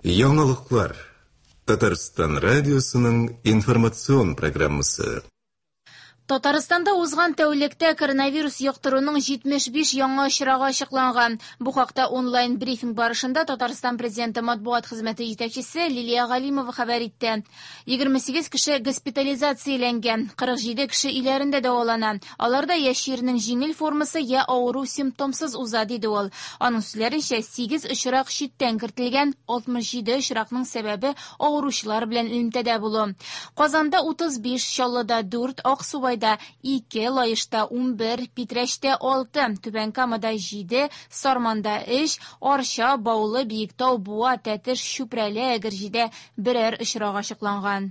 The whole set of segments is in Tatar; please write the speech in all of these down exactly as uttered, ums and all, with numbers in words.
Яңалыклар. Татарстан радиосының информацион программасы. Татарстанда узган тәүлектә коронавирус йоктыруның җитмеш биш яңа очрагы ачыкланган. Бу хакта онлайн брифинг барышында Татарстан президенты матбугат хезмәте җитәкчесе Лилия Галимова хәбәр итте. Егерме сигез кеше госпитализацияләнгән, кырык җиде кеше өйләрендә дәвалана. Аларда я чирнең җиңел формасы, я авыру симптомсыз уза, диде ул. Аның сүзләренчә, сигез очрак читтән кертелгән, алтмыш җиде очракның сәбәбе авыручылар белән элемтәдә булу. Казанда утыз биш, Чаллыда дүрт, Аксубайда ике, Лаешта унбер, Питрәчтә алты, Түбән Камада җиде, Сарманда өч, Арча, Баулы, Биектау, Буа, Тәтеш, Чүпрәле, Әгерҗедә берәр очрак ачыкланган.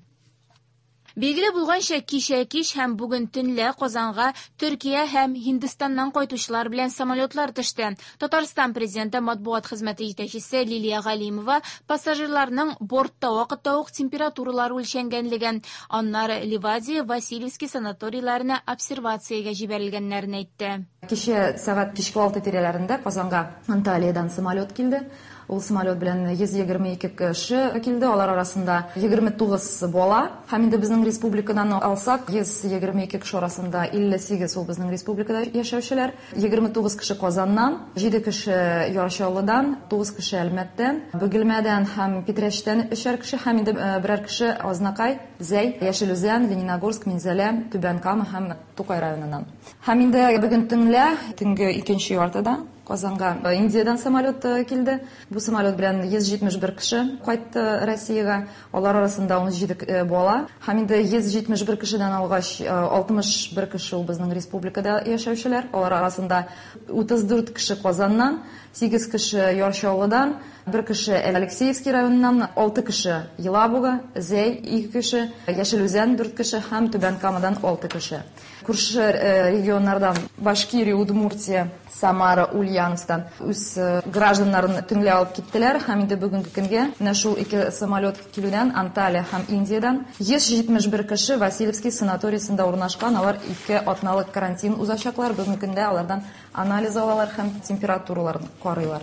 Билгеле булганча, кичә кич һәм бүген төнлә Казанга Төркия һәм Һиндстаннан кайтучылар белән самолетлар төште. Татарстан президенты матбугат хезмәте җитәкчесе Лилия Галимова пассажирларның бортта вакытта ук температуралары үлчәнгәнлеген, аннары Ливадия, Васильевский санаторийларына обсервациягә җибәрелгәннәрен әйтте. Кичә сәгать кичке алты тирәләрендә Казанга Анталиядан самолет килде. Ул самолет белән йөз егерме ике кеше килде, алар арасында егерме тугыз бала. Һәм инде безнең республикадан алсак, йөз егерме ике кеше арасында илле сигез ул безнең республикада яшәүчеләр, егерме тугыз кеше Казаннан, җиде кеше Яр Чаллыдан, тугыз кеше Әлмәттән, Бөгелмәдән һәм Питрәчтән өчәр кеше һәм инде, э, берәр кеше Азнакай, Зәй, Яшел Үзән, Лениногорск, Минзәлә, Түбән Кама һәм Тукай районыннан. Һәм инде бүген төнлә, төнге икенче яртыда Казанга Индиядан самолет килде. Бу самолет белән йөз җитмеш бер кеше кайтты Россиягә. Алар арасында ун җиде бала. Һәм инде йөз җитмеш бер кешедән алгач, алтмыш бер кеше ул безнең республикада яшәүчеләр. Алар арасында утыз дүрт кеше Казаннан, сигез кеше Яр Чаллыдан, бер кеше Алексеевский районыннан, алты кеше Елабуга, Зәй ике кеше, Яшел Үзән дүрт кеше һәм Түбән Камадан алты кеше. Күрше, э, регионнардан Башкирия, Удмуртия, Самара, Ульяновстан үз, э, гражданнарын төнлә алып киттеләр һәм инде бүгенге көнгә менә шул ике самолет килүдән Анталия һәм Индиядан йөз җитмеш бер кеше Васильевский санаториясендә урнашкан. Алар ике атналык карантин узачаклар. Бүгенге көндә алардан анализ алалар һәм температураларын карыйлар.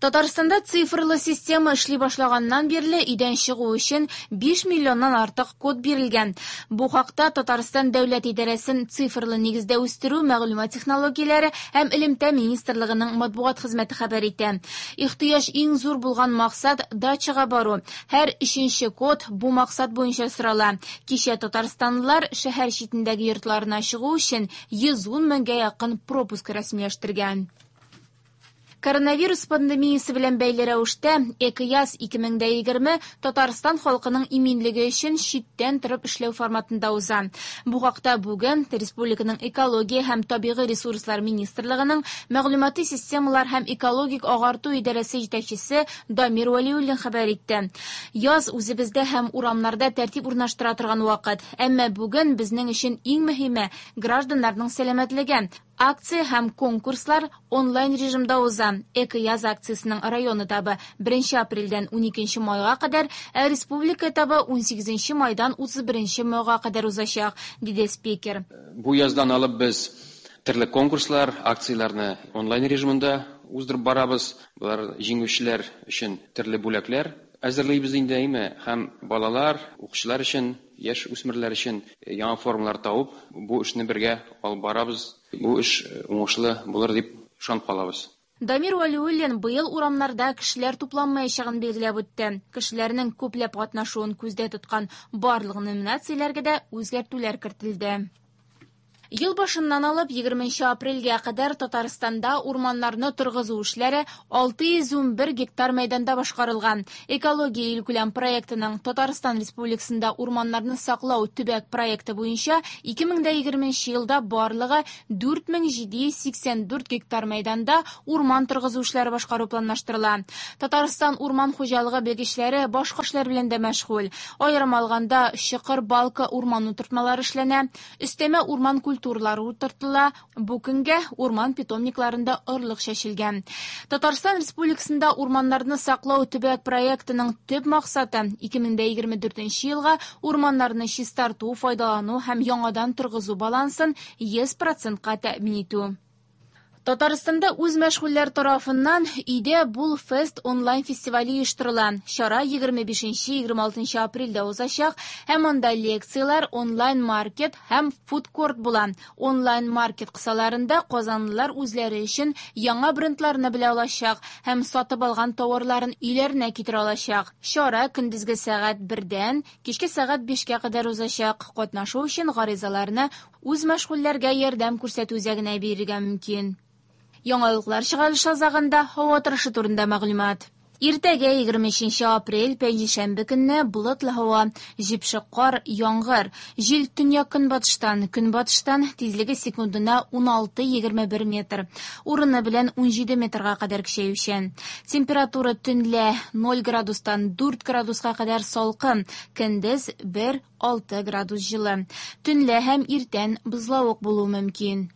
Татарстанда цифрлы система эшли башлаганнан бирле өйдән чыгу өчен биш миллионнан артык код бирелгән. Бу хакта Татарстан дәүләт идарәсен цифрлы нигездә үстерү, мәгълүмат технологияләре һәм элемтә министрлыгының матбугат хезмәте хәбәр итә. Ихтыяҗ иң зур булган максат дачага бару. Һәр өченче код бу максат буенча сорала. Кичә татарстанлылар шәһәр читендәге йортларына чыгу өчен йөз ун меңгә якын пропуск рәсмиләштергән. Коронавирус пандемиясе белән бәйле рәвештә Экояз ике мең дә егерме Татарстан халкының иминлеге өчен читтән торып эшләү форматында уза. Бу хакта бүген Республиканың экология һәм табигый ресурслар министрлыгының мәгълүмати системалар һәм экологик агарту идарәсе җитәкчесе Дамир Вәлиуллин хәбәр итте. Яз үзебездә һәм урамнарда тәртип урнаштыра торган вакыт. Әмма бүген безнең өчен иң мөһиме гражданнарның сәламәтлеге. Акция һәм конкурслар онлайн режимда уза. Экояз акциясенең район этабы беренче апрельдән уникенче майга кадәр, ә республика этабы унсигезенче майдан утыз беренче майга кадәр узачак, диде спикер. Бу яздан алып без төрле конкурслар, акцияләрне онлайн режимында уздырып барабыз. Болар җиңүчеләр өчен төрле бүләкләр әзерлибез инде, әйме, һәм балалар, укучылар өчен, яшь үсмерләр өчен яңа формалар табып, бу эшне бергә алып барабыз. Бу эш уңышлы булыр дип ышанып калабыз. Дамир Вәлиуллин быел урамнарда кешеләр тупланмаячагын билгеләп үтте. Кешеләрнең күпләп катнашуын күздә тоткан барлык номинацияләргә дә үзгәртүләр кертелде. Ел башыннан алып егерменче апрельгә кадәр Татарстанда урманнарны торгызу эшләре алты йөз унбер гектар мәйданда башкарылган. Экология илкүләм проектының Татарстан Республикасында урманнарны саклау төбәк проекты буенча ике мең дә егерменче елда барлыгы дүрт мең җиде йөз сиксән дүрт гектар мәйданда урман торгызу эшләре башкару планлаштырыла. Татарстан урман хуҗалыгы белгечләре башка эшләр белән дә мәшгуль. Аерым алганда, Чокыр Балка урман утыртмалары эшләнә, өстәмә урман культуралары утыртыла, бу көнгә урман питомникларында орлык чәчелгән. Татарстан Республикасында урманнарны саклау төбәк проектының төп максаты ике мең дә егерме дүртенче елга урманнарны чистарту, файдалану һәм яңадан торгызу балансын йөз процентка тәэмин итү. Татарстанда үзмәшгульләр тарафыннан "Өйдә бул фест" онлайн фестивале оештырыла. Чара егерме бишенче-егерме алтынчы апрельдә узачак һәм анда лекцияләр, онлайн-маркет һәм фудкорт була. Онлайн-маркет кысаларында казанлылар үзләре өчен яңа брендларны белә алачак һәм сатып алган тауарларын өйләренә китерә алачак. Чара көндезге сәгать бердән кичке сәгать бишкә кадәр узачак. Катнашу өчен гаризаларны үзмәшгульләргә ярдәм күрсәтү үзәгенә бирергә мөмкин. Яңалыклар чыгарылышы азагында һава торышы турында мәгълүмат. Иртәгә егерме өченче апрель пәнҗешәмбе көнне болытлы һава, җепшек кар, яңгыр. Җил төньяк-көнбатыштан, көнбатыштан, тизлеге секундына ун алты-егерме бер метр. Урыны белән ун җиде метрга кадәр көчәючән. Температура төнлә ноль градустан дүрт градуска кадәр салкын, көндез бер алты градус җылы. Төнлә һәм иртән бозлавык булуы мөмкин.